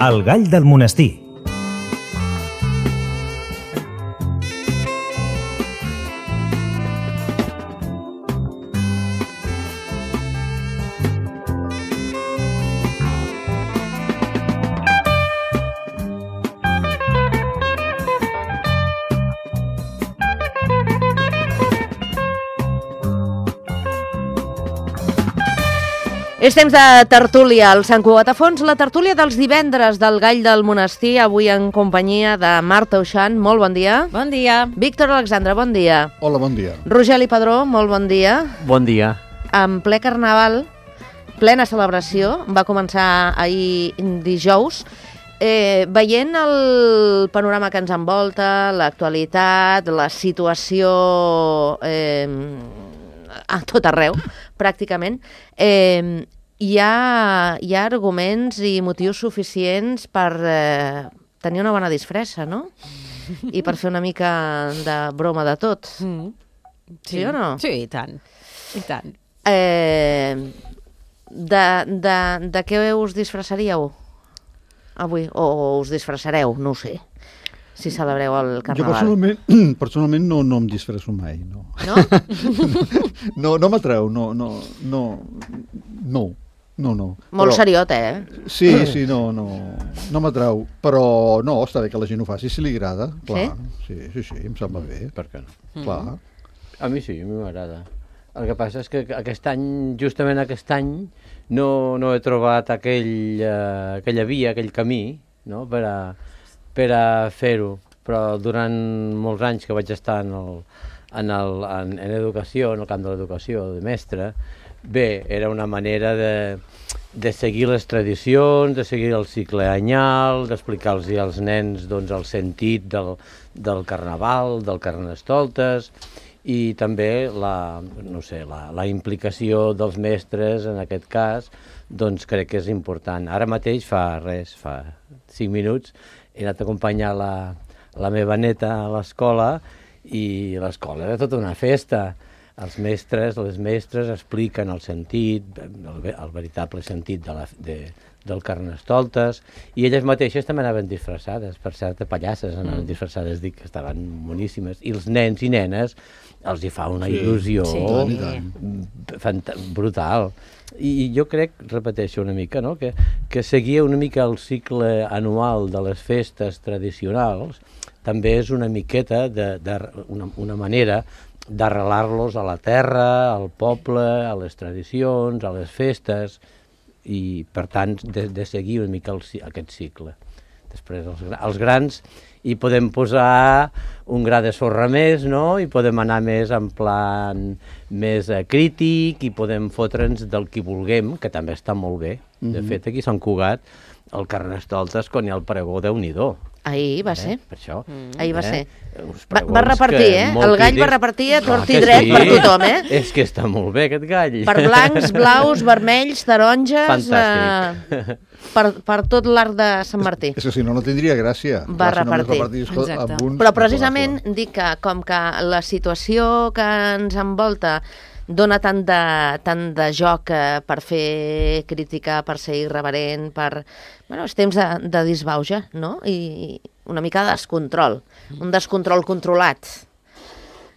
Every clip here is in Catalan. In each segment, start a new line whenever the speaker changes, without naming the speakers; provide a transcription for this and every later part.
El gall del monestir.
És temps de tertúlia al Sant Cugat a Fons, la tertúlia dels divendres del Gall del Monestir, avui en companyia de Marta Uixant, molt bon dia.
Bon dia.
Víctor Alexandre, bon dia.
Hola, bon dia.
Rogeli Padró, molt bon dia.
Bon dia.
En ple carnaval, plena celebració, va començar ahir dijous, veient el panorama que ens envolta, l'actualitat, la situació a tot arreu, pràcticament, hi ha arguments i motius suficients per tenir una bona disfressa, no? I per fer una mica de broma de tot. Sí o no?
Sí, i tant. I tant.
De què us disfressaríeu avui? O us disfressareu? No ho sé. Si celebreu el carnaval.
Jo personalment no em disfresso mai, no.
No?
No m'atreu, no.
Molt seriot,
Sí, no m'atreu, però no, està bé que la gent ho faci, si li agrada, clar. Sí, em sembla bé.
Per què no?
Clar.
A mi sí, a mi m'agrada. El que passa és que justament aquest any, no he trobat aquella via, aquell camí, no?, per a fer-ho, però durant molts anys que vaig estar en educació, en el camp de l'educació, de mestre, bé, era una manera de seguir les tradicions, de seguir el cicle anyal, d'explicar-los als nens doncs, el sentit del carnaval, del carnestoltes, i també la implicació dels mestres, en aquest cas, doncs crec que és important. Ara mateix, fa 5 minuts, he anat a acompanyar la meva neta a l'escola i l'escola era tota una festa. Els mestres, les mestres expliquen el sentit, el veritable sentit del carnestoltes, i elles mateixes també anaven disfressades, per cert, de pallasses anaven disfressades, dic que estaven boníssimes, i els nens i nenes els hi fa una il·lusió brutal. I jo crec, repeteixo una mica, no?, que seguir una mica el cicle anual de les festes tradicionals també és una miqueta una manera d'arrelar-los a la terra, al poble, a les tradicions, a les festes, i per tant de seguir una mica aquest cicle. Després els grans hi podem posar un gra de sorra més, no?, i podem anar més en plan més crític i podem fotre'ns del que vulguem, que també està molt bé. De fet, aquí a Sant Cugat, el carnestoltes, quan hi ha el pregó, Déu-n'hi-do.
Ahir va ser.
Per això.
Ahir va ser. Va repartir, El gall va repartir a tort i dret per tothom,
És que està molt bé, aquest gall.
Per blancs, blaus, vermells, taronges...
Fantàstic.
Per tot l'arc de Sant Martí.
És que si no tindria gràcia.
Va repartir. Però precisament dic que com que la situació que ens envolta dona tant de joc per fer crítica, per ser irreverent, és temps de disbauxa, no? I una mica de descontrol, un descontrol controlat.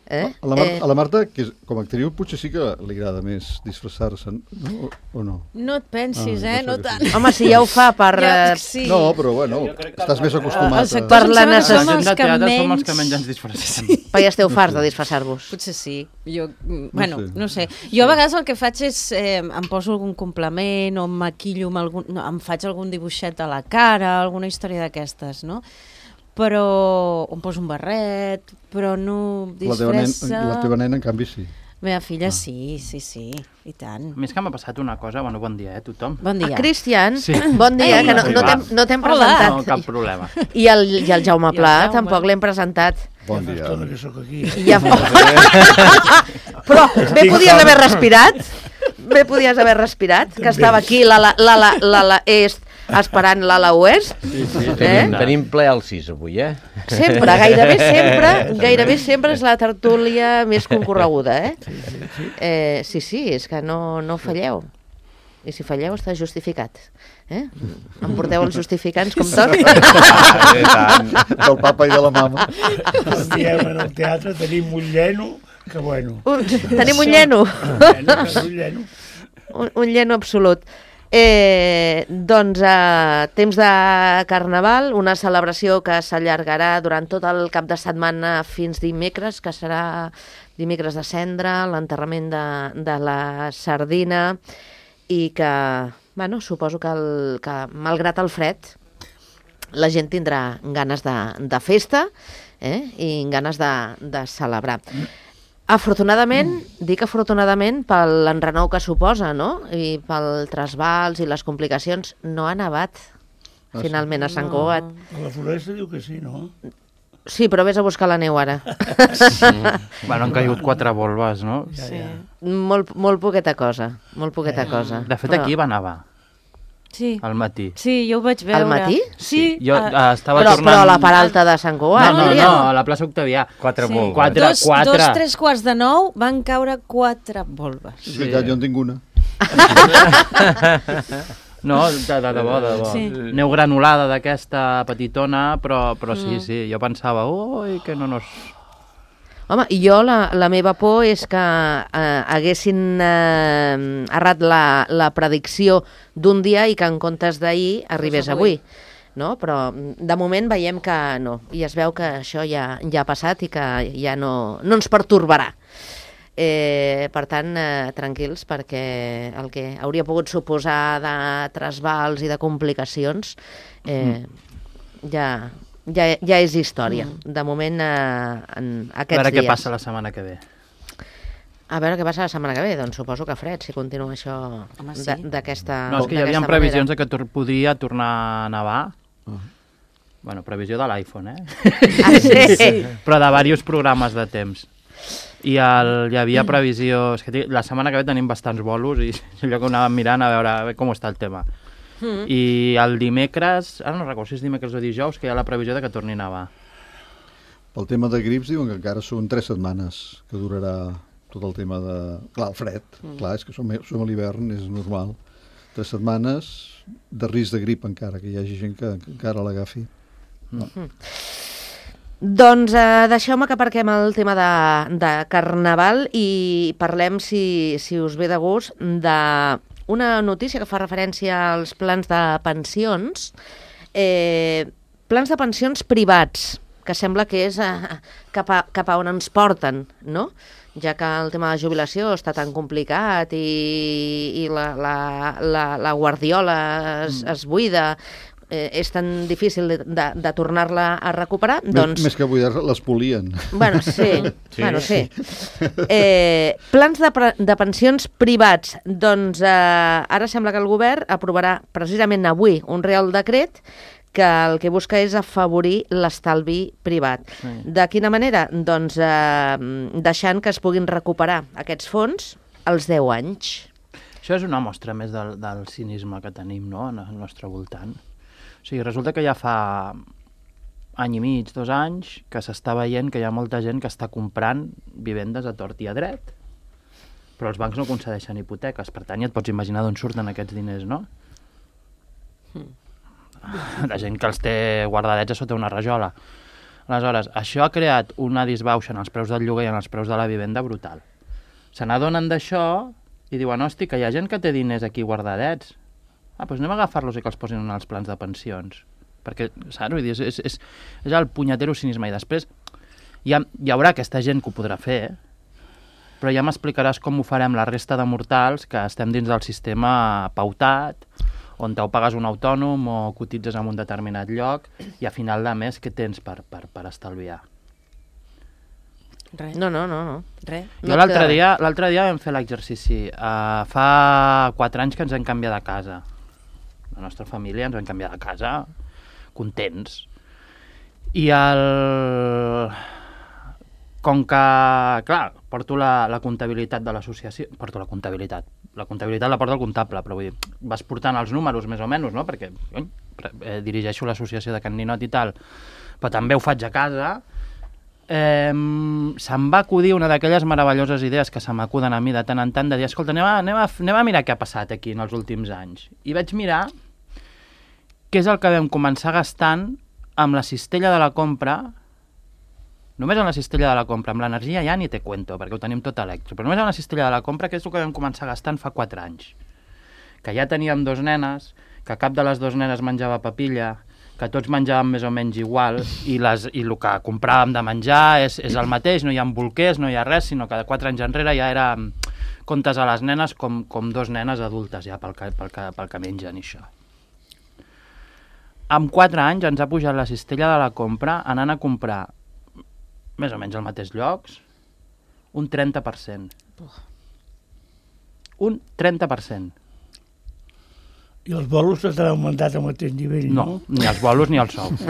A la Marta, que com a actriu, potser sí que li agrada més disfressar-se, no? O no?
No et pensis, no tant.
Home, si ja ho fa per...
No, però bueno, estàs més acostumat.
Per la necessitat.
La gent de teatre som els que menys ens disfressem.
Però ja esteu farts de disfressar-vos.
Potser sí. Jo, no sé. Jo a vegades el que faig és em poso algun complement o em maquillo em faig algun dibuixet a la cara, alguna història d'aquestes, no? Però em poso un barret, però no disfressa...
La teva nena, en canvi, sí.
La meva filla sí, i tant.
A més que m'ha passat una cosa, bon dia, tothom.
Bon dia.
Cristian, bon dia, que no t'hem presentat.
No, cap problema.
I el Jaume Pla tampoc l'hem presentat.
Bon dia.
Estona que sóc aquí.
Però bé podies haver respirat, que estava aquí l'ala est esperant l'ala oest.
Tenim ple al 6 avui,
Sempre, gairebé sempre és la tertúlia més concorreguda, Sí, és que no falleu. I si falleu està justificat. Em porteu els justificants com tot?
Del papa i de la mama.
Diem en el teatre, tenim un lleno, que bueno.
Tenim un lleno. Un lleno absolut. Doncs temps de Carnaval, una celebració que s'allargarà durant tot el cap de setmana fins dimecres, que serà dimecres de Cendra, l'enterrament de la sardina, i que, bueno, suposo que malgrat el fred, la gent tindrà ganes de festa i ganes de celebrar. Afortunadament, dic afortunadament, per l'enrenou que suposa, no? I pel trasbals i les complicacions, no ha nevat finalment a Sant Cugat.
A la Floresta diu que sí, no?
Sí, però vés a buscar la neu ara.
Bueno, han caigut 4 volves, no?
Sí. Molt poqueta cosa, molt poqueta cosa.
De fet, aquí va nevar.
Sí.
Al matí.
Sí, jo ho vaig veure.
Al matí?
Sí.
Jo estava tornant...
Però a la part alta de Sant Cugat?
No, a la plaça Octavià.
4 volves.
2:45 van caure 4 volves.
És veritat, jo en tinc una.
No, de debò. Sí. Neu granulada d'aquesta petitona, però sí, jo pensava, ui, que no nos...
Home, i jo la meva por és que haguessin errat la predicció d'un dia i que en comptes d'ahir arribés avui. No? Però de moment veiem que no. I es veu que això ja ha passat i que ja no ens pertorbarà. Per tant, tranquils, perquè el que hauria pogut suposar de trasbals i de complicacions ja és història. De moment, en aquests dies.
A veure què passa la setmana que ve.
A veure què passa la setmana que ve. Doncs suposo que fred, si continua això d'aquesta manera.
No, és que hi havia previsions que podria tornar a nevar. Bueno, previsió de l'iPhone,
Sí.
Però de diversos programes de temps. I hi havia previsió... És que la setmana que ve tenim bastants bolos i allò que anàvem mirant a veure com està el tema. I el dimecres, ara no recordo si és dimecres o dijous, que hi ha la previsió de que torni a nevar.
Pel tema de grips diuen que encara són 3 setmanes que durarà tot el tema de... Clar, el fred, clar, és que som a l'hivern, és normal. 3 setmanes de risc de grip encara, que hi hagi gent que encara l'agafi.
Doncs deixeu-me que aparquem el tema de Carnaval i parlem, si us ve de gust, d'una notícia que fa referència als plans de pensions. Plans de pensions privats, que sembla que és cap a on ens porten, no? Ja que el tema de jubilació està tan complicat i la guardiola es buida, és tan difícil de tornar-la a recuperar, doncs...
Més que buidar, les polien.
Bueno, sí. Bueno, sí. Plans de pensions privats. Doncs ara sembla que el govern aprovarà precisament avui un reial decret que el que busca és afavorir l'estalvi privat. Sí. De quina manera? Doncs deixant que es puguin recuperar aquests fons als 10 anys.
Això és una mostra més del cinisme que tenim, no?, al nostre voltant. O sigui, resulta que ja fa any i mig, 2 anys, que s'està veient que hi ha molta gent que està comprant vivendes a tort i a dret, però els bancs no concedeixen hipoteques, per tant ja et pots imaginar d'on surten aquests diners, no? La gent que els té guardadets a sota una rajola. Aleshores, això ha creat una disbauxa en els preus del lloguer i en els preus de la vivenda brutal. Se n'adonen d'això i diuen, hosti, que hi ha gent que té diners aquí guardadets. Doncs anem a agafar-los i que els posin en els plans de pensions. Perquè, saps? Vull dir, és el punyetero cinisme. I després hi haurà aquesta gent que ho podrà fer, però ja m'explicaràs com ho farem la resta de mortals que estem dins del sistema pautat, on t'ho pagues un autònom o cotitzes en un determinat lloc i a final de mes què tens per estalviar?
Res.
No. Res.
Jo l'altre dia vam fer l'exercici. Fa 4 anys que ens hem canviat de casa. La nostra família ens vam canviar de casa contents. I com que, clar, porto la comptabilitat de l'associació, la comptabilitat la porta el comptable, però vull dir, vas portant els números més o menys, no?, perquè dirigeixo l'associació de Can Ninot i tal, però també ho faig a casa. Se'm va acudir una d'aquelles meravelloses idees que se m'acuden a mi de tant en tant, de dir, escolta, anem a mirar què ha passat aquí en els últims anys. I vaig mirar què és el que vam començar gastant amb la cistella de la compra, només amb la cistella de la compra, amb l'energia ja ni te cuento, perquè ho tenim tot elèctric, però només amb la cistella de la compra, que és el que vam començar gastant fa 4 anys. Que ja teníem 2 nenes, que cap de les 2 nenes menjava papilla, que tots menjàvem més o menys igual, i el que compràvem de menjar és el mateix, no hi ha bolquers, no hi ha res, sinó que de 4 anys enrere ja era comptes a les nenes com 2 nenes adultes ja pel que mengen i això. En 4 anys ens ha pujat la cistella de la compra anant a comprar més o menys als mateixos llocs un 30%. Un 30%.
I els bolos s'han augmentat al mateix nivell, no?
No, ni els bolos ni els sous.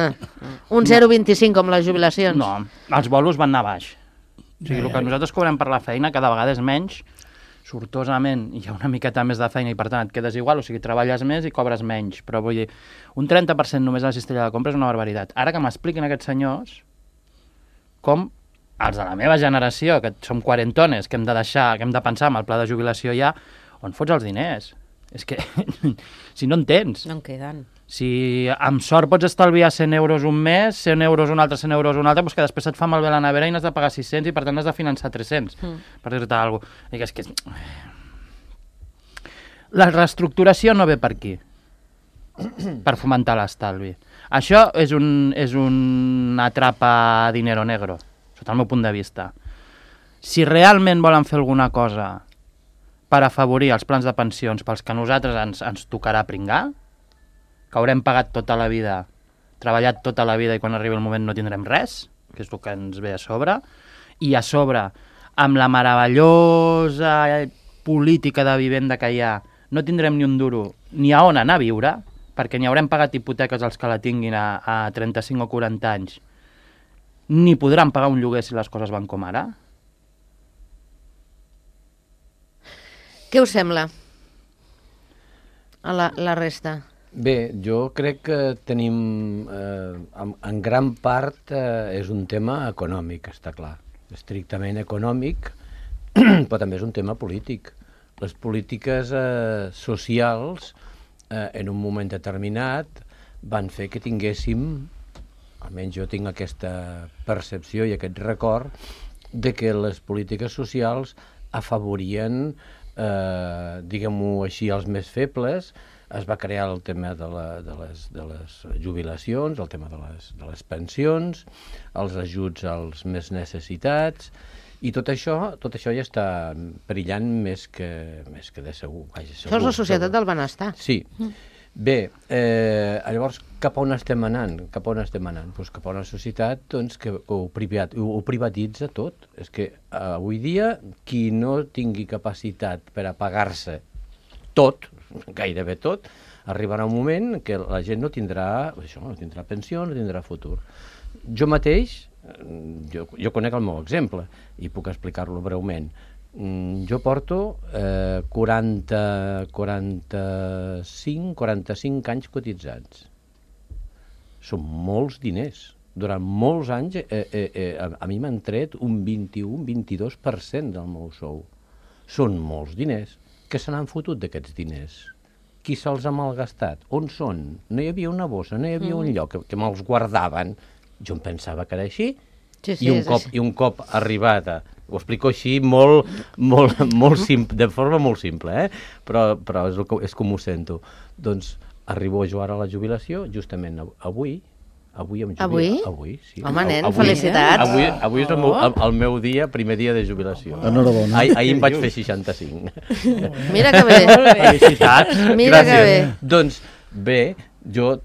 Un 0,25 com les jubilacions.
No, els bolos van anar baix. O sigui, el que nosaltres cobrem per la feina cada vegada és menys, sortosament hi ha una miqueta més de feina i per tant et quedes igual, o sigui, treballes més i cobres menys, però vull dir, un 30% només a la cistella de compra és una barbaritat. Ara que m'expliquin aquests senyors com els de la meva generació, que som quarentones, que hem de pensar en el pla de jubilació ja, on fots els diners? És que, si no en tens.
No en queden.
Si amb sort pots estalviar 100 euros un mes, 100 euros un altre, 100 euros un altre, doncs que després et fa malbé la nevera i n'has de pagar 600 i per tant has de finançar 300, per dir-te alguna cosa. És que la reestructuració no ve per aquí, per fomentar l'estalvi. Això és una trapa dinero negro, sota el meu punt de vista. Si realment volen fer alguna cosa per afavorir els plans de pensions pels que a nosaltres ens tocarà pringar, que haurem pagat tota la vida, treballat tota la vida i quan arribi el moment no tindrem res, que és el que ens ve a sobre, i a sobre, amb la meravellosa política de vivenda que hi ha, no tindrem ni un duro ni a on anar a viure, perquè ni haurem pagat hipoteques els que la tinguin a 35 o 40 anys, ni podran pagar un lloguer si les coses van com ara.
Què us sembla a la resta?
Bé, jo crec que tenim, en gran part, és un tema econòmic, està clar. Estrictament econòmic, però també és un tema polític. Les polítiques socials, en un moment determinat, van fer que tinguéssim, almenys jo tinc aquesta percepció i aquest record, de que les polítiques socials afavorien, diguem-ho així, els més febles. Es va crear el tema de les jubilacions, el tema de les pensions, els ajuts als més necessitats, i tot això ja està perillant més que de segur. Vaja, segur.
Això és la societat del benestar.
Sí. Bé, llavors, cap a on estem anant? Pues cap a una societat que ho privatitza tot. És que avui dia, qui no tingui capacitat per a pagar-se tot, gairebé tot, arribarà un moment que la gent no tindrà pensió, no tindrà futur. Jo mateix, jo conec el meu exemple i puc explicar-lo breument. Jo porto 45 anys cotitzats. Són molts diners. Durant molts anys a mi m'han tret un 21-22% del meu sou. Són molts diners. Què se n'han fotut d'aquests diners? Qui se'ls ha malgastat? On són? No hi havia una bossa, no hi havia un lloc que me'ls guardaven. Jo em pensava que era així. I un cop arribat a... Ho explico així molt simple, de forma molt simple, però és com ho sento. Doncs arribo jo ara a la jubilació, justament avui em jubilo. Avui, sí.
Home, nen, felicitats.
Avui és el meu primer dia de jubilació.
Enhorabona.
Ahir em vaig fer 65.
Mira que bé.
Felicitats.
Mira que bé.
Doncs bé, jo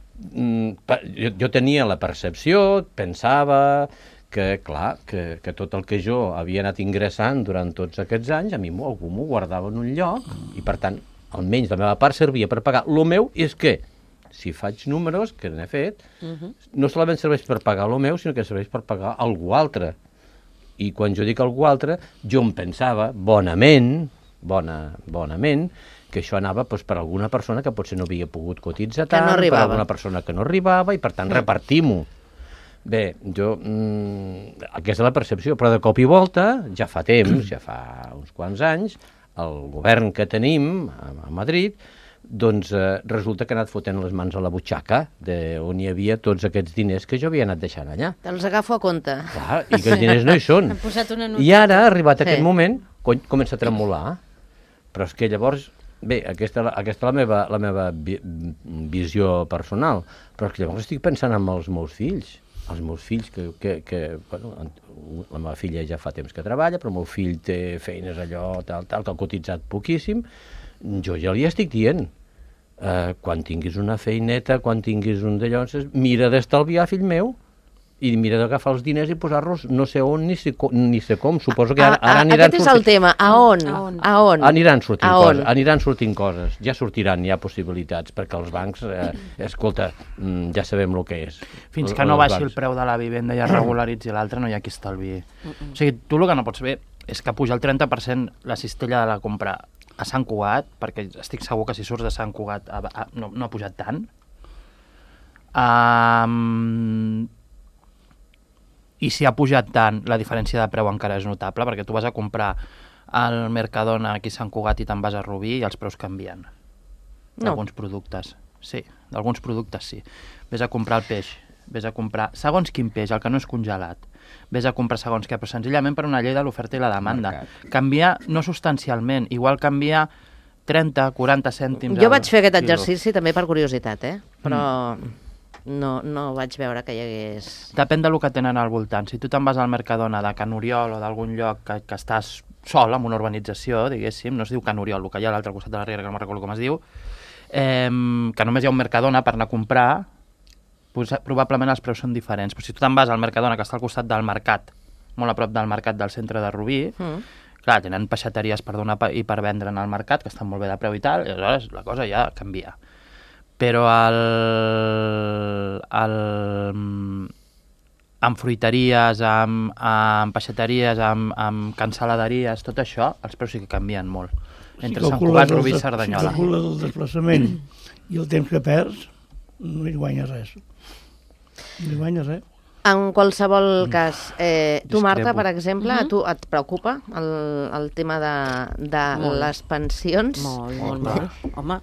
tenia la percepció, pensava que, clar, que tot el que jo havia anat ingressant durant tots aquests anys, a mi algú m'ho guardava en un lloc i, per tant, almenys la meva part servia per pagar. El meu és que, si faig números, que n'he fet, no solament serveix per pagar el meu, sinó que serveix per pagar algú altre. I quan jo dic algú altre, jo em pensava, bonament, que això anava per alguna persona que potser no havia pogut cotitzar tant, per alguna persona que no arribava, i per tant repartim-ho. Bé, aquesta és la percepció, però de cop i volta, ja fa temps, ja fa uns quants anys, el govern que tenim a Madrid doncs resulta que he anat fotent les mans a la butxaca on hi havia tots aquests diners que jo havia anat deixant allà.
Te'ls agafo a compte.
Clar, i que els diners no hi són. I ara, arribat aquest moment, comença a tremolar. Però és que llavors, bé, aquesta és la meva visió personal, però és que llavors estic pensant en els meus fills. Els meus fills, bueno, la meva filla ja fa temps que treballa, però el meu fill té feines allò, tal, que ha cotitzat poquíssim. Jo ja li estic dient, quan tinguis una feineta, quan tinguis un d'allò, mira d'estalviar, fill meu, i mira d'agafar els diners i posar-los no sé on ni sé com. Suposo que ara aniran
sortint... Aquest és el tema. A on?
Aniran sortint coses. Ja sortiran, hi ha possibilitats, perquè els bancs, escolta, ja sabem el que és.
Fins que no baixi el preu de la vivenda i es regularitzi l'altre, no hi ha qui estalviï. O sigui, tu el que no pots fer és que puja el 30% la cistella de la compra a Sant Cugat, perquè estic segur que si surts de Sant Cugat no ha pujat tant. I si ha pujat tant, la diferència de preu encara és notable, perquè tu vas a comprar al Mercadona aquí a Sant Cugat i te'n vas a Rubí i els preus canvien. D'alguns productes. Sí, d'alguns productes sí. Ves a comprar el peix, ves a comprar segons quin peix, el que no és congelat. Ves a comprar segons què, però senzillament per una llei de l'oferta i la demanda. Canvia no substancialment, igual canvia 30, 40 cèntims.
Jo vaig fer aquest exercici també per curiositat, però no vaig veure que hi hagués...
Depèn del que tenen al voltant. Si tu te'n vas al Mercadona de Can Oriol o d'algun lloc que estàs sol en una urbanització, diguéssim, no es diu Can Oriol, el que hi ha a l'altre costat de la riera, que no me'n recordo com es diu, que només hi ha un Mercadona per anar a comprar, probablement els preus són diferents. Però si tu te'n vas al Mercadona, que està al costat del mercat, molt a prop del mercat del centre de Rubí, clar, tenen peixateries per donar i per vendre en el mercat, que estan molt bé de preu i tal, i aleshores la cosa ja canvia. Però amb fruiteries, amb peixateries, amb cancel·laderies, tot això, els preus sí que canvien molt. Entre Sant Cugat, Rubí i Cerdanyola.
Si calcules el desplaçament i el temps que perds, no hi guanyes res. No hi guanyes res.
En qualsevol cas, tu, Marta, per exemple, a tu et preocupa el tema de les pensions?
Molt. Home,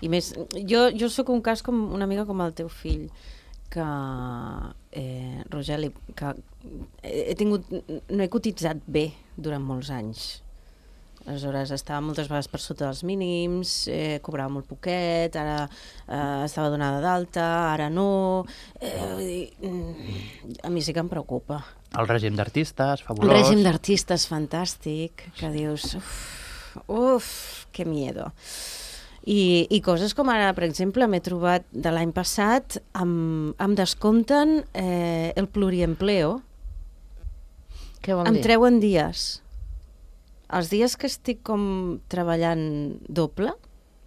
i més, jo sóc un cas una mica com el teu fill, que, Rogeli, que no he cotitzat bé durant molts anys. Aleshores estava moltes vegades per sota dels mínims, cobrava molt poquet, ara estava donada d'alta, ara no... a mi sí que em preocupa.
El règim d'artistes, fabulós.
El règim d'artistes, fantàstic, que dius... Uf, que miedo. I coses com ara, per exemple, m'he trobat de l'any passat, em descompten el pluriempleo.
Què vol dir?
Em treuen dies. Els dies que estic com treballant doble,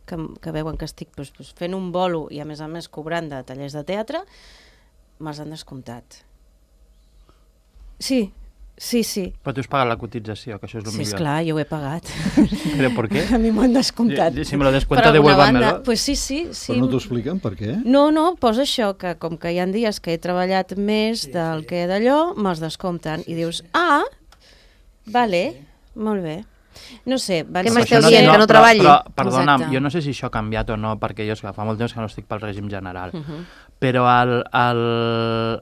que veuen que estic fent un bolo i a més cobrant de tallers de teatre, me'ls han descomptat. Sí.
Però tu has pagat la cotització, que això és el millor.
Sí, esclar, jo ho he pagat.
¿Pero por qué?
A mi m'ho han descomptat.
Si me lo descuenta, devuélvanmelo.
Pues sí.
Però no t'ho expliquen per què?
No, posa això, que com que hi ha dies que he treballat més del que d'allò, me'ls descompten. I dius, vale... Molt bé. No sé...
Què m'esteu dient, que no treballi?
Però, perdona'm, jo no sé si això ha canviat o no, perquè jo fa molt temps que no estic pel règim general. Però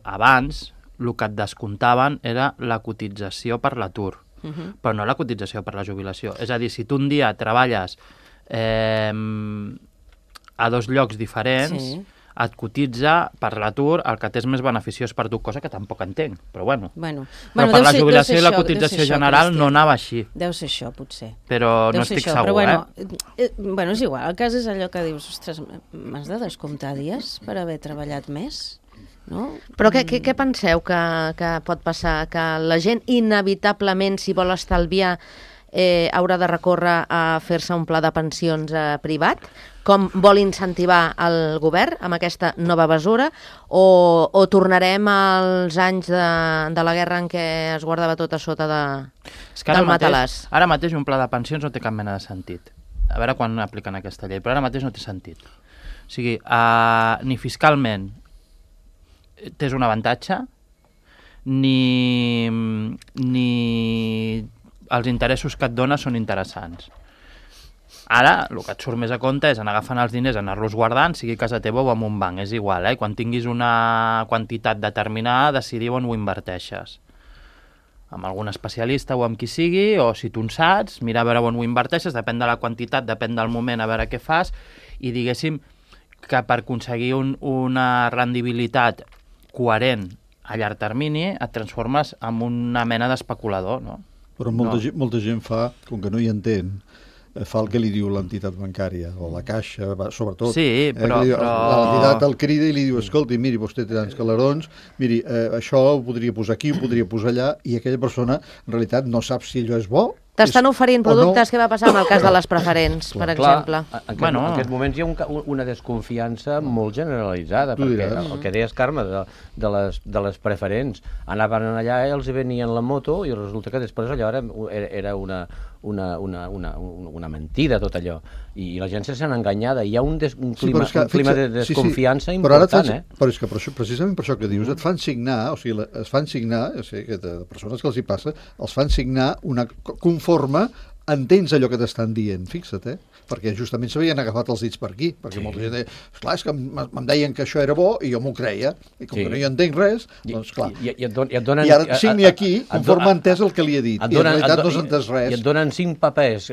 abans el que et descomptaven era la cotització per l'atur, però no la cotització per la jubilació. És a dir, si tu un dia treballes a dos llocs diferents, et cotitza per l'atur el que t'és més beneficiós per tu, cosa que tampoc entenc, però bueno. Però per la jubilació i la cotització general no anava així.
Deu ser això, potser.
Però no estic segur,
Bueno, és igual, el cas és allò que dius, ostres, m'has de descomptar dies per haver treballat més? No?
Però què penseu que pot passar? Que la gent inevitablement, si vol estalviar, haurà de recórrer a fer-se un pla de pensions privat, com vol incentivar el govern amb aquesta nova mesura, o tornarem als anys de la guerra en què es guardava tot a sota del matalàs?
Ara mateix un pla de pensions no té cap mena de sentit. A veure quan apliquen aquesta llei, però ara mateix no té sentit. O sigui, ni fiscalment tens un avantatge, ni els interessos que et dona són interessants. Ara, el que et surt més a compte és anar agafant els diners, anar-los guardant, sigui a casa teva o en un banc, és igual, Quan tinguis una quantitat determinada, decidir on ho inverteixes. Amb algun especialista o amb qui sigui, o si tu en saps, mira a veure on ho inverteixes, depèn de la quantitat, depèn del moment, a veure què fas, i diguéssim que per aconseguir una rendibilitat coherent a llarg termini et transformes en una mena d'especulador, no?
Però molta gent fa, com que no hi entén, fa el que li diu l'entitat bancària, o la caixa, sobretot.
Sí, però...
L'entitat el crida i li diu, escolti, miri, vostè té tants calarons, miri, això ho podria posar aquí, ho podria posar allà, i aquella persona, en realitat, no sap si allò és bo.
T'estan oferint productes, què va passar en el cas de les preferents, per exemple?
En aquests moments hi ha una desconfiança molt generalitzada, perquè el que deies, Carme, de les preferents, anaven allà i els venien la moto i resulta que després allò era una mentida, tot allò. I la gent se sent enganyada. Hi ha un clima de desconfiança important,
Però és que precisament per això que dius, et fan signar, o sigui, es fan signar, de persones que els hi passa, els fan signar una conforme entens allò que t'estan dient, fixa't, perquè justament s'havien agafat els dits per aquí, perquè molta gent deia, esclar, és que em deien que això era bo i jo m'ho creia, i com que no hi entenc res, doncs clar. I ara signi aquí, conforme ha entès el que li he dit, i en realitat no s'ha entès res.
I et donen 5 papers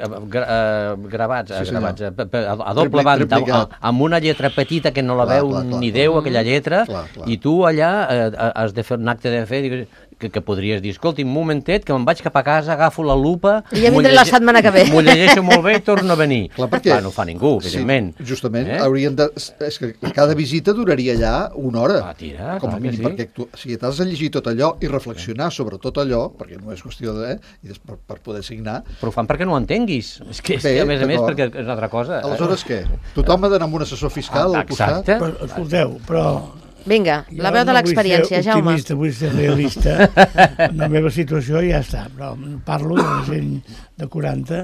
gravats a doble banda, amb una lletra petita que no la veu ni Déu, aquella lletra, i tu allà has de fer un acte de fe, que podries dir, escolti, un momentet, que me'n vaig cap a casa, agafo la lupa...
I ja vindré la setmana que ve.
M'ho llegeixo molt bé i torno a venir.
Clar, perquè...
no ho fa ningú, evidentment.
Sí, justament, haurien de... És que cada visita duraria allà una hora.
Tira,
com a mínim, perquè t'has de llegir tot allò i reflexionar sobre tot allò, perquè no és qüestió de... i per poder signar...
Però ho fan perquè no ho entenguis. És que, a més, perquè és una altra cosa.
Aleshores, què? Tothom ha d'anar amb un assessor fiscal al costat?
Però, escolteu, però...
Vinga, la veu de l'experiència, Jaume.
Vull ser realista. La meva situació ja està, però parlo de gent de 40.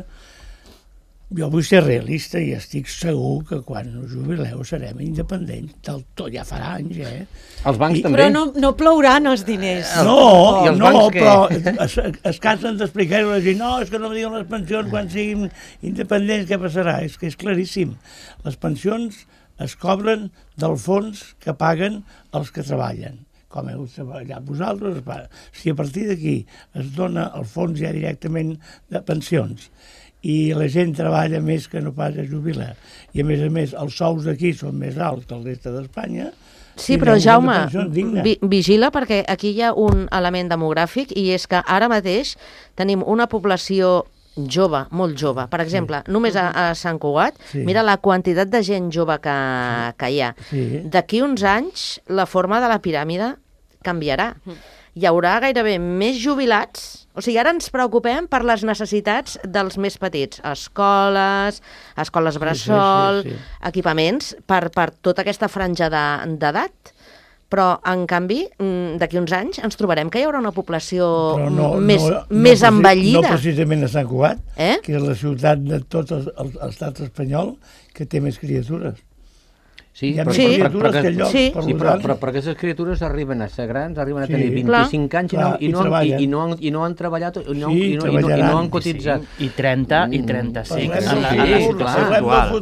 Jo vull ser realista i estic segur que quan us jubileu serem independents del tot, ja farà anys,
Els bancs també.
Però no plouran els diners.
Però es cansen d'explicar-ho a la gent, no, és que no em diuen les pensions quan siguin independents, què passarà? És que és claríssim. Les pensions es cobren del fons que paguen els que treballen. Com heu treballat vosaltres, si a partir d'aquí es dona el fons ja directament de pensions i la gent treballa més que no pas a jubilar, i a més els sous d'aquí són més alts que el resta d'Espanya.
Sí, però Jaume, vigila, perquè aquí hi ha un element demogràfic, i és que ara mateix tenim una població jove, molt jove. Per exemple, només a Sant Cugat, mira la quantitat de gent jove que hi ha. D'aquí uns anys, la forma de la piràmide canviarà. Hi haurà gairebé més jubilats. O sigui, ara ens preocupem per les necessitats dels més petits. Escoles bressol, equipaments, per tota aquesta franja d'edat. Però, en canvi, d'aquí uns anys ens trobarem que hi haurà una població més envellida.
No precisament a Sant Cugat, que és la ciutat de tot l'estat espanyol que té més criatures.
Sí, però aquestes criatures arriben a ser grans, arriben a tenir 25 anys i no han treballat i no han cotitzat.
I 30 i 35 en la situació actual.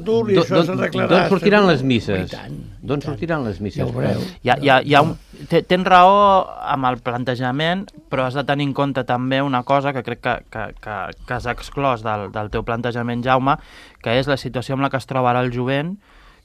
D'on sortiran les misses? D'on sortiran les misses?
Tens raó amb el plantejament, però has de tenir en compte també una cosa que crec que has exclòs del teu plantejament, Jaume, que és la situació amb la que es troba ara el jovent,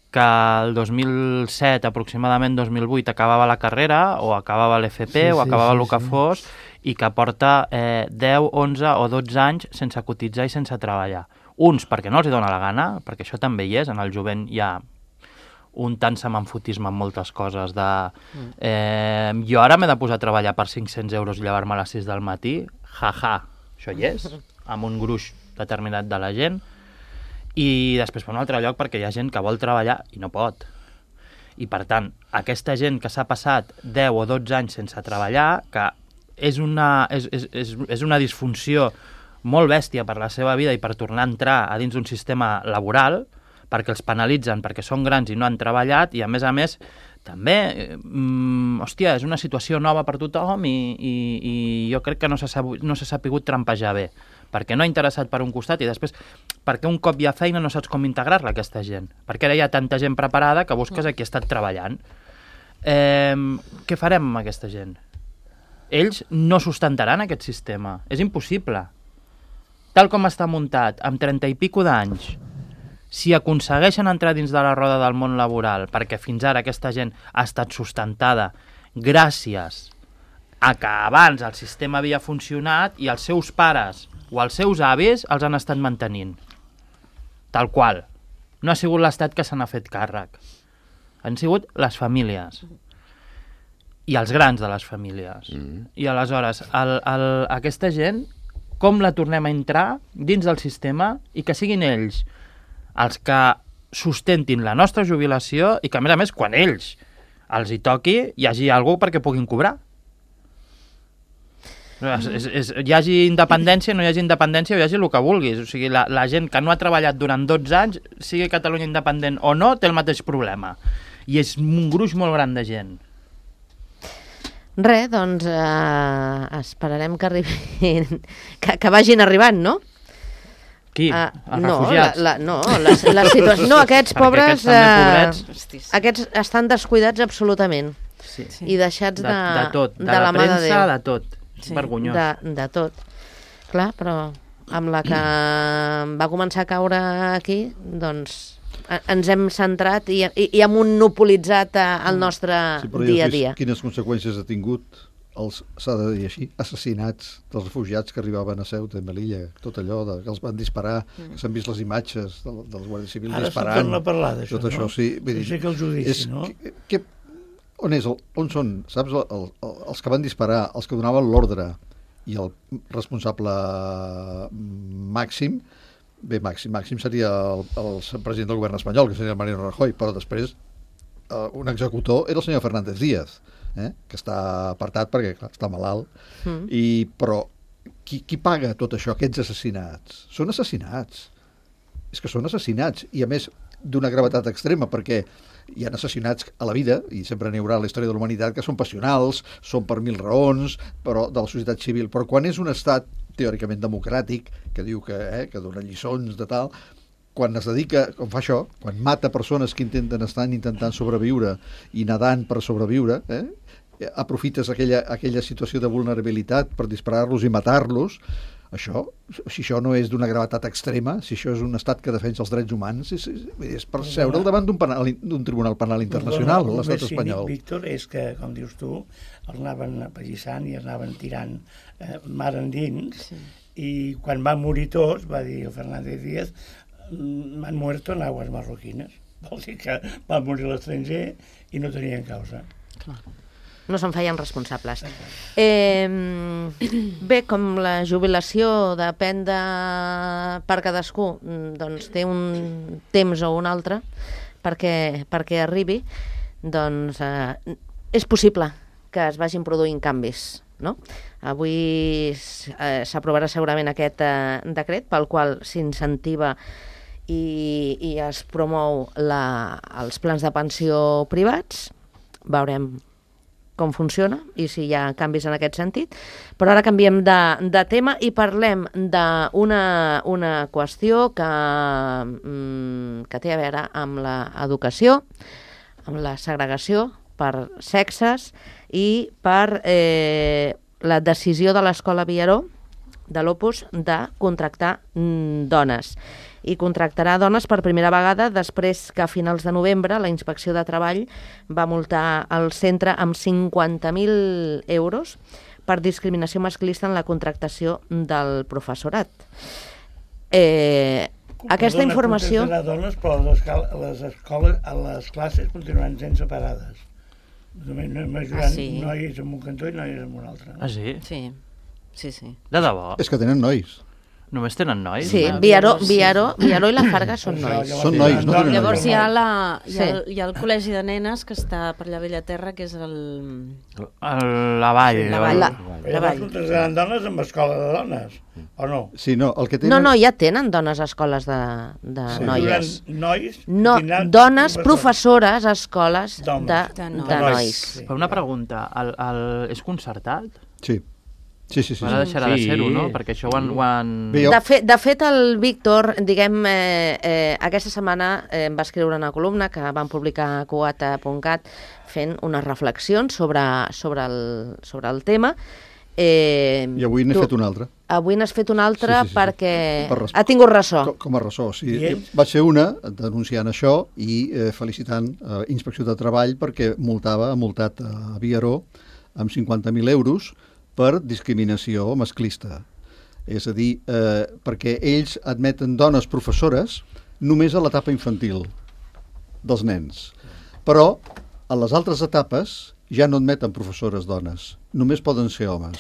que el 2007, aproximadament 2008, acabava la carrera, o acabava l'FP, o acabava el que fos, i que porta 10, 11 o 12 anys sense cotitzar i sense treballar. Uns perquè no els dona la gana, perquè això també hi és, en el jovent hi ha un tant semanfotisme en moltes coses de... jo ara m'he de posar a treballar per 500 euros i llevar-me a les 6 del matí, això hi és, amb un gruix determinat de la gent, i després per un altre lloc perquè hi ha gent que vol treballar i no pot. I per tant, aquesta gent que s'ha passat 10 o 12 anys sense treballar, que és una disfunció molt bèstia per la seva vida i per tornar a entrar a dins d'un sistema laboral, perquè els penalitzen, perquè són grans i no han treballat, i a més, també, hòstia, és una situació nova per tothom i jo crec que no s'ha sapigut trampejar bé, perquè no ha interessat per un costat i després perquè un cop hi ha feina no saps com integrar-la aquesta gent, perquè ara hi ha tanta gent preparada que busques a qui ha estat treballant. Què farem amb aquesta gent? Ells no sustentaran aquest sistema, és impossible. Tal com està muntat, amb 30 i pico d'anys, si aconsegueixen entrar dins de la roda del món laboral, perquè fins ara aquesta gent ha estat sustentada gràcies a que abans el sistema havia funcionat i els seus pares o els seus avis els han estat mantenint. Tal qual. No ha sigut l'Estat que se n'ha fet càrrec. Han sigut les famílies. I els grans de les famílies. I aleshores, aquesta gent, com la tornem a entrar dins del sistema i que siguin ells els que sustentin la nostra jubilació i que, a més, quan ells els hi toqui, hi hagi algú perquè puguin cobrar. Hi hagi independència, no hi hagi independència, hi hagi el que vulguis. O sigui, la gent que no ha treballat durant 12 anys, sigui Catalunya independent o no, té el mateix problema. I és un gruix molt gran de gent.
Res, doncs esperarem que arribin, que vagin arribant, no?
Qui? Els refugiats?
La situació... No, aquests pobres... Aquests estan descuidats absolutament.
Sí.
I deixats de
tot,
de la mà de Déu.
De tot. Sí. Vergonyós.
De tot. Clar, però amb la que va començar a caure aquí, doncs ens hem centrat i hem monopolitzat el nostre dia a dia.
Quines conseqüències ha tingut s'ha de dir així, assassinats dels refugiats que arribaven a Ceuta i Melilla, tot allò que els van disparar, que s'han vist les imatges dels guàrdies civils disparant.
Ara s'ha parlar d'això,
tot això, sí.
Sé que el judici, no?
On són, saps, els que van disparar, els que donaven l'ordre i el responsable màxim, màxim seria el president del govern espanyol, que seria el Mariano Rajoy, però després un executor era el senyor Fernández Díaz, que està apartat perquè clar, està malalt, però qui paga tot això, aquests assassinats? Són assassinats. És que són assassinats, i a més d'una gravetat extrema, perquè hi ha assassinats a la vida, i sempre n'hi haurà a la història de la humanitat, que són passionals, són per 1000 raons, però de la societat civil. Però quan és un estat teòricament democràtic, que diu que dona lliçons de tal, quan es dedica, com fa això, quan mata persones que estan intentant sobreviure i nedant per sobreviure, aprofites aquella situació de vulnerabilitat per disparar-los i matar-los, si això no és d'una gravetat extrema, si això és un estat que defensa els drets humans, és per seure'l davant d'un tribunal penal internacional, l'estat espanyol.
El Víctor, és que, com dius tu, els anaven apallissant i els anaven tirant mar endins, i quan van morir tots, va dir el Fernández Díaz, han muerto en aguas marroquines. Vol dir que van morir a l'estranger i no tenien causa.
Clar. No se'n feien responsables. Bé, com la jubilació depèn per cadascú, doncs té un temps o un altre perquè arribi, doncs és possible que es vagin produint canvis, no? Avui s'aprovarà segurament aquest decret pel qual s'incentiva i es promou els plans de pensió privats. Veurem com funciona i si hi ha canvis en aquest sentit. Però ara canviem de tema i parlem d'una qüestió que té a veure amb l'educació, amb la segregació per sexes i per la decisió de l'Escola Viaró, de l'Opus, de contractar dones. I contractarà dones per primera vegada després que a finals de novembre la Inspecció de Treball va multar el centre amb 50.000 euros per discriminació masclista en la contractació del professorat. Aquesta informació...
Dones, però les escoles, les classes continuaran sent separades. Nois en un cantó i nois en un altre.
Ah, sí?
Sí.
De debò?
És que tenen nois.
Només tenen nois?
Sí, Viaró i la Farga són nois.
Són nois, no?
Llavors hi ha el col·legi de nenes que està per allà a Bellaterra, que és
La Vall.
Llavors contractaran dones amb escola de dones, o no?
Sí, no, el que tenen...
No, ja tenen dones a escoles de noies.
Nois?
No, dones professores a escoles de nois.
Però una pregunta, és concertat?
Sí. Sí.
Ara deixarà de ser-ho, no? Perquè això ho han...
De fet, el Víctor, diguem, aquesta setmana va escriure una columna que van publicar a Cuata.cat fent unes reflexions sobre el tema.
I avui n'he fet una altra.
Avui n'has fet una altra
sí.
perquè ha tingut ressò.
Com a ressò, sí. Va ser una denunciant això i felicitant Inspecció de Treball perquè ha multat a Viaró amb 50.000 euros per discriminació masclista. És a dir, perquè ells admeten dones professores només a l'etapa infantil dels nens. Però a les altres etapes ja no admeten professores dones, només poden ser homes.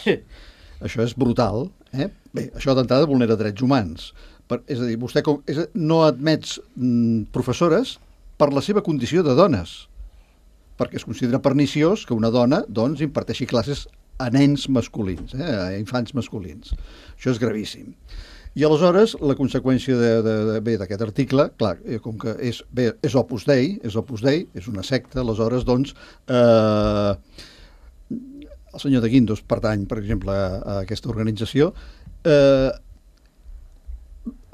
Això és brutal. Bé, això d'entrada vulnera drets humans. És a dir, vostè no admets professores per la seva condició de dones, perquè es considera perniciós que una dona doncs, imparteixi classes a nens masculins, a infants masculins. Això és gravíssim. I aleshores, la conseqüència d'aquest article, clar, com que és Opus Dei, és una secta, aleshores, doncs, el senyor de Guindos pertany, per exemple, a aquesta organització,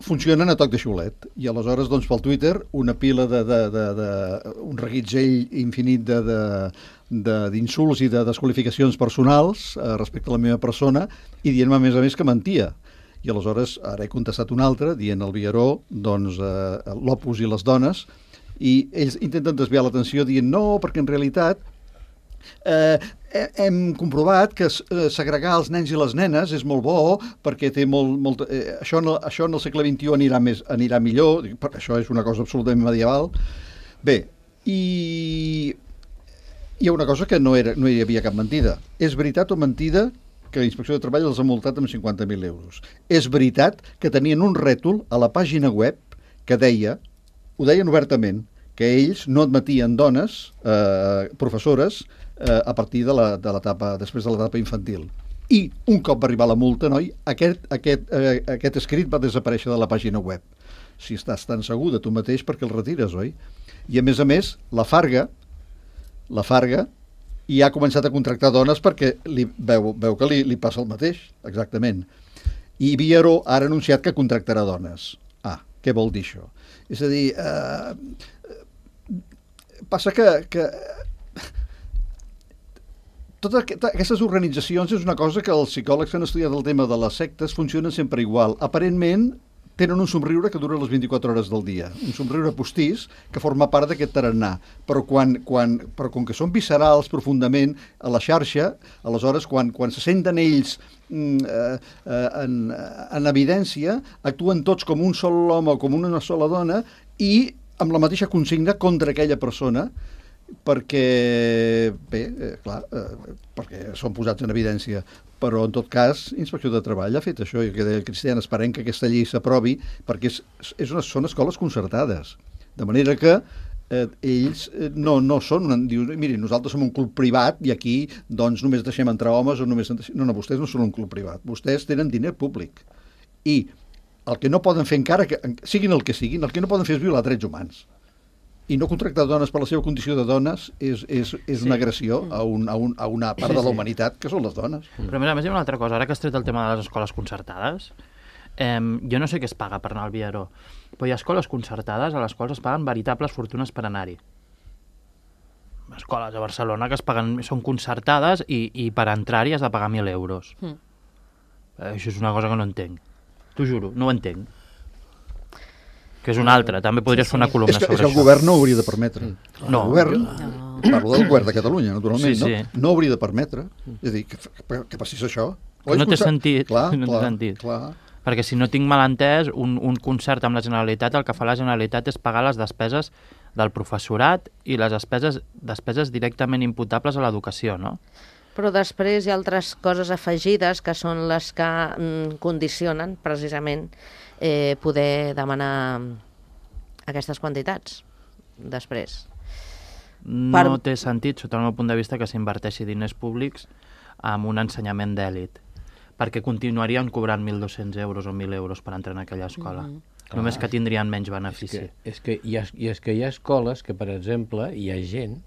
funcionen a toc de xiulet. I aleshores, doncs, pel Twitter, una pila un reguitzell infinit d'insults i de desqualificacions personals respecte a la meva persona i dient-me, a més, que mentia. I aleshores, ara he contestat un altre, dient al Viaró, doncs, l'Opus i les dones, i ells intenten desviar l'atenció dient no, perquè en realitat hem comprovat que segregar els nens i les nenes és molt bo perquè té això en el segle XXI anirà millor, això és una cosa absolutament medieval. Bé, i hi ha una cosa que no hi havia cap mentida. És veritat o mentida que la Inspecció de Treball els ha multat amb 50.000 euros. És veritat que tenien un rètol a la pàgina web que ho deien obertament, que ells no admetien dones, professores, a partir després de l'etapa infantil. I un cop va arribar la multa, noi, aquest escrit va desaparèixer de la pàgina web. Si estàs tan segur de tu mateix, perquè el retires, oi? I a més, la Farga i ha començat a contractar dones perquè veu que li passa el mateix, exactament. I Viaró ha anunciat que contractarà dones. Què vol dir això? És a dir, passa que totes aquestes organitzacions és una cosa que els psicòlegs que han estudiat el tema de les sectes funcionen sempre igual. Aparentment tenen un somriure que dura les 24 hores del dia, un somriure postís que forma part d'aquest tarannà, però com que són viscerals profundament a la xarxa, aleshores quan se senten ells en evidència, actuen tots com un sol home o com una sola dona i amb la mateixa consigna contra aquella persona, perquè són posats en evidència. Però, en tot cas, Inspecció de Treball ha fet això, i que deia el Cristian, esperem que aquesta llei s'aprovi, perquè són escoles concertades. De manera que ells no són... Diuen, miri, nosaltres som un club privat i aquí doncs només deixem entrar homes o només... No, vostès no són un club privat. Vostès tenen diner públic. I el que no poden fer encara, que siguin el que siguin, el que no poden fer és violar drets humans. I no contractar dones per la seva condició de dones és una agressió a una part de la humanitat que són les dones.
Però a més hi ha una altra cosa, ara que has tret el tema de les escoles concertades, jo no sé què es paga per anar al Viaró, però hi ha escoles concertades a les quals es paguen veritables fortunes per anar-hi. Escoles a Barcelona que són concertades i per entrar-hi has de pagar 1.000 euros. Això és una cosa que no entenc. T'ho juro, no ho entenc. Que és una altra, també podries fer una columna sobre això.
És que el govern no ho hauria de permetre.
No.
El govern, parlo del govern de Catalunya, naturalment,
sí.
no hauria de permetre. És a dir, que passés això.
No té sentit.
Clar.
Perquè si no tinc mal entès, un concert amb la Generalitat, el que fa la Generalitat és pagar les despeses del professorat i les despeses directament imputables a l'educació, no?
Però després hi ha altres coses afegides que són les que condicionen precisament poder demanar aquestes quantitats després.
No té sentit, sota el meu punt de vista, que s'inverteixi diners públics en un ensenyament d'èlit, perquè continuarien cobrant 1.200 euros o 1.000 euros per entrar en aquella escola. Només que tindrien menys benefici.
És que hi ha escoles que, per exemple, hi ha gent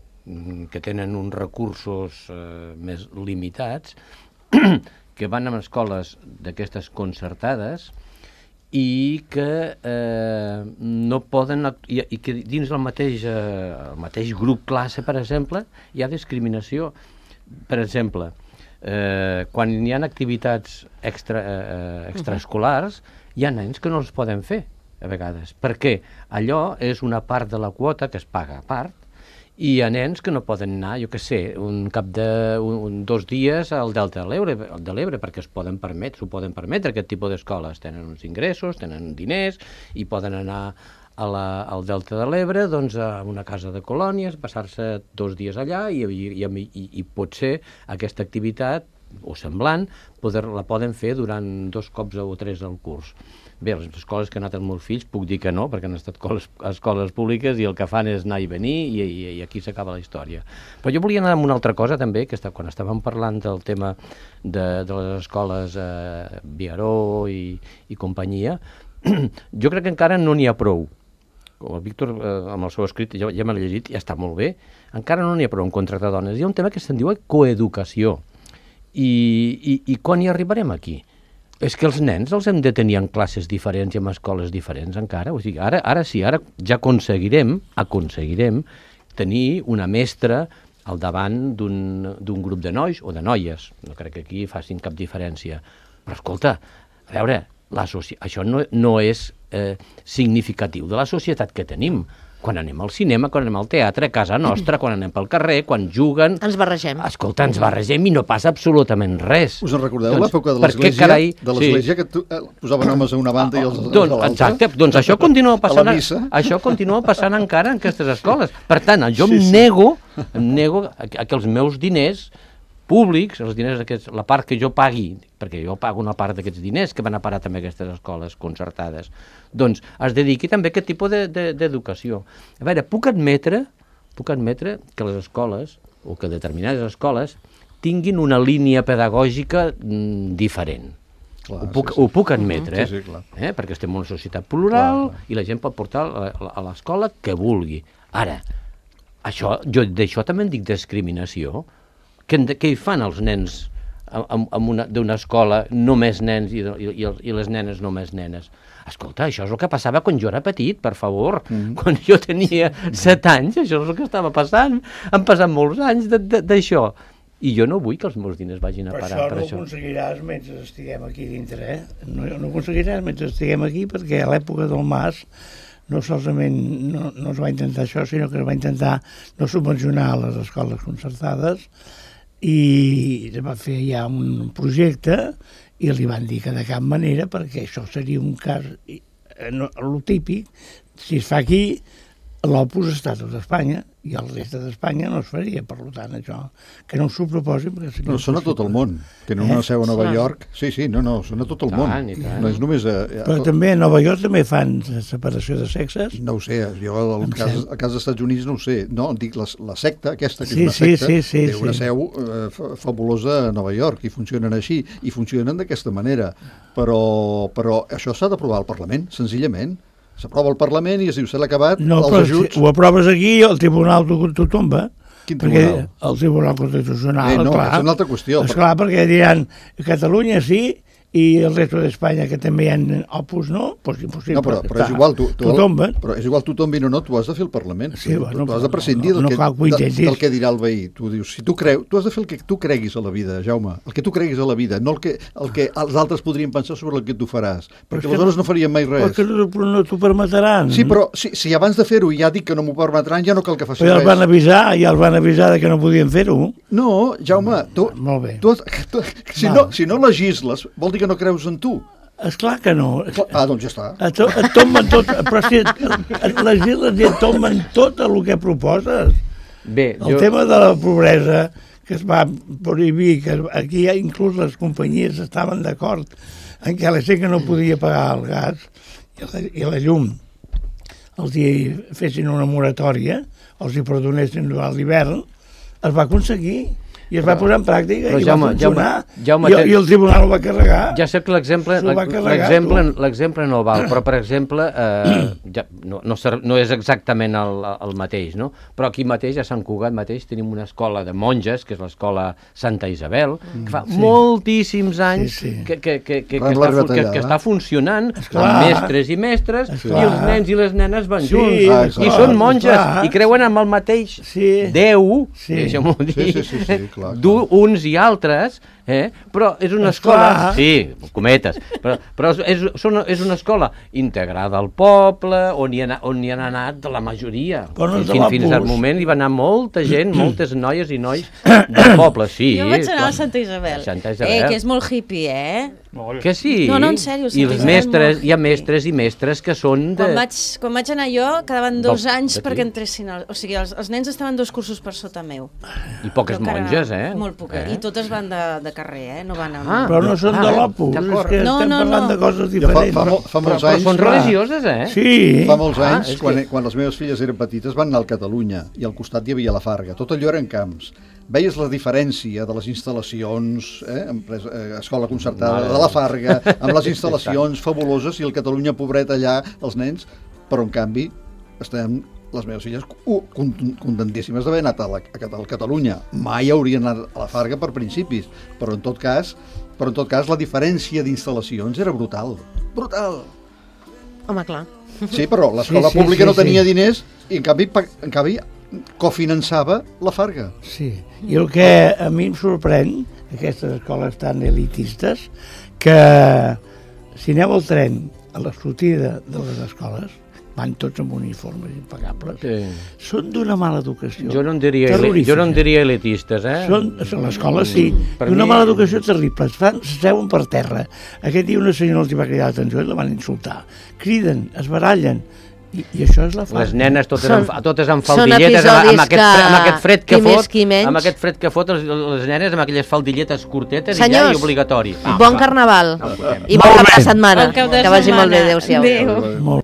que tenen uns recursos més limitats, que van a escoles d'aquestes concertades i que no poden... I que dins el mateix grup classe, per exemple, hi ha discriminació. Per exemple, quan hi ha activitats extraescolars, hi ha nens que no els poden fer, a vegades, perquè allò és una part de la quota que es paga a part, i hi ha nens que no poden anar, jo què sé, un cap de 2 dies al Delta de l'Ebre, perquè s'ho poden permetre aquest tipus d'escoles. Tenen uns ingressos, tenen diners, i poden anar al Delta de l'Ebre, doncs, a una casa de colònies, passar-se 2 dies allà, i potser aquesta activitat, o semblant, la poden fer durant 2 cops o 3 al curs. Bé, les escoles que han anat els meus fills puc dir que no, perquè han estat escoles públiques i el que fan és anar i venir i aquí s'acaba la història. Però jo volia anar amb una altra cosa també, que quan estàvem parlant del tema de les escoles Viaró i companyia, jo crec que encara no n'hi ha prou. El Víctor, amb el seu escrit, ja me l'he llegit, ja està molt bé, encara no n'hi ha prou en contractar dones. Hi ha un tema que se'n diu coeducació. I quan hi arribarem aquí? És que els nens els hem de tenir en classes diferents i en escoles diferents encara. O sigui, ara sí, ara ja aconseguirem tenir una mestra al davant d'un grup de nois o de noies. No crec que aquí facin cap diferència. Però escolta, a veure, això no és significatiu de la societat que tenim. Quan anem al cinema, quan anem al teatre, a casa nostra, quan anem pel carrer, quan juguen...
Ens barregem.
Escolta, ens barregem i no passa absolutament res.
Us en recordeu l'època de l'església, que posaven homes a una banda i els a l'altra?
Exacte, doncs això continua passant encara en aquestes escoles. Per tant, jo em nego a que els meus diners públics, els diners la part que jo pagui, perquè jo pago una part d'aquests diners que van a parar també a aquestes escoles concertades, doncs es dediqui també a aquest tipus d'educació. A veure, puc admetre que les escoles, o que determinades escoles, tinguin una línia pedagògica diferent. Clar, ho puc admetre, perquè estem en una societat plural i la gent pot portar a l'escola que vulgui. Ara, jo d'això també en dic discriminació. Què hi fan els nens d'una escola només nens i les nenes només nenes? Escolta, això és el que passava quan jo era petit, per favor. Quan jo tenia 7 anys, això és el que estava passant. Han passat molts anys d'això. I jo no vull que els meus diners vagin a parar per això.
Però això no ho aconseguiràs mentre estiguem aquí dintre, No ho aconseguiràs mentre estiguem aquí, perquè a l'època del Mas no solament no es va intentar això, sinó que es va intentar no subvencionar les escoles concertades, i es va fer ja un projecte i li van dir que de cap manera, perquè això seria un cas lo típic, si es fa aquí l'Opus està a tot Espanya i el reste d'Espanya no es faria, per tant això que no s'ho proposin.
No, són a tot el món, tenen una seu a Nova York, sí, són a tot el món, no és només
però també a Nova York també fan separació de sexes.
No ho sé, jo al cas dels Estats Units no ho sé, no, dic la secta aquesta, que és una secta, té una seu fabulosa a Nova York i funcionen així, i funcionen d'aquesta manera, però això s'ha d'aprovar al Parlament, senzillament. S'aprova al Parlament i es diu, s'ha acabat els ajuts...
Si ho aproves aquí, el Tribunal t'ho tomba.
Quin tribunal?
El Tribunal Constitucional,
no, és una altra qüestió.
Esclar, perquè diran, Catalunya sí, i el resto d'Espanya, que també hi ha Opus, no? Pues impossible.
No, però és igual, però és igual tu tombin o no, tu has de fer el Parlament.
Sí, bueno,
tu has de prescindir del que dirà el veí. Tu dius, si tu has de fer el que tu creguis a la vida, Jaume, el que tu creguis a la vida, no el que els altres podrien pensar sobre el que tu faràs, perquè aleshores no farien mai res.
Però no t'ho permetran.
Sí, però si abans de fer-ho ja dic que no m'ho permetran, ja no cal que faci res.
Però ja els van avisar que no podien fer-ho.
No, Jaume,
molt bé.
Si no legisles, vol dir que no creus en tu.
Esclar que no.
Doncs ja està.
Et tomben tot, però si les illes et tomben tot el que proposes.
Bé,
el tema de la pobresa, que es va prohibir, que aquí inclús les companyies estaven d'acord en que la gent que no podia pagar el gas i la llum els hi fessin una moratòria, els hi perdonessin durant l'hivern, es va aconseguir i es va posar en pràctica i va funcionar. I el tribunal ho va carregar.
Ja sé que l'exemple no val, però, per exemple, no és exactament el mateix, no? Però aquí mateix, a Sant Cugat mateix, tenim una escola de monges, que és l'escola Santa Isabel, que fa moltíssims anys que està funcionant, amb mestres i mestres, i els nens i les nenes van junts, i són monges, i creuen amb el mateix Déu, deixa'm-ho dir, d'uns i altres, però és una escola... Sí, cometes. Però és una escola integrada al poble, on hi han anat la majoria. Fins al moment hi va anar molta gent, moltes noies i nois del poble, sí.
Jo vaig anar a Santa Isabel. Que és molt hippie,
Que sí?
No, en sèrio.
I els mestres, hi ha mestres i mestres que són de...
Quan vaig anar jo, quedaven 2 anys perquè entressin... O sigui, els nens estaven 2 cursos per sota meu.
I poques monges,
Molt poques. I totes van de carrer, no van amb...
Però no són de l'Opus, és que estem parlant de coses diferents.
Però són religioses,
Sí.
Fa molts anys, quan les meves filles eren petites, van anar al Catalunya i al costat hi havia la Farga. Tot allò eren camps. Veies la diferència de les instal·lacions, escola concertada de la Farga, amb les instal·lacions fabuloses, i el Catalunya, pobret allà, els nens, però en canvi estem les meves filles contentíssimes d'haver anat a Catalunya. Mai haurien anat a la Farga per principis, però en tot cas la diferència d'instal·lacions era brutal. Brutal!
Home, clar.
Sí, però l'escola pública no tenia diners i en canvi cofinançava la Farga.
Sí, i el que a mi em sorprèn, aquestes escoles tan elitistes, que si aneu al tren a la sortida de les escoles, van tots amb uniformes impecables, són d'una mala educació.
Jo no en diria elitistes,
Són, a l'escola sí, d'una mala educació terrible. S'asseuen per terra. Aquest dia una senyora els va cridar l'atenció i la van insultar. Criden, es barallen. I això és la Farga.
Les nenes totes amb faldilletes, amb aquest fred que fot, les nenes amb aquelles faldilletes curtetes i obligatori.
Bon carnaval i bona setmana. Que vagi molt bé, adéu-siau.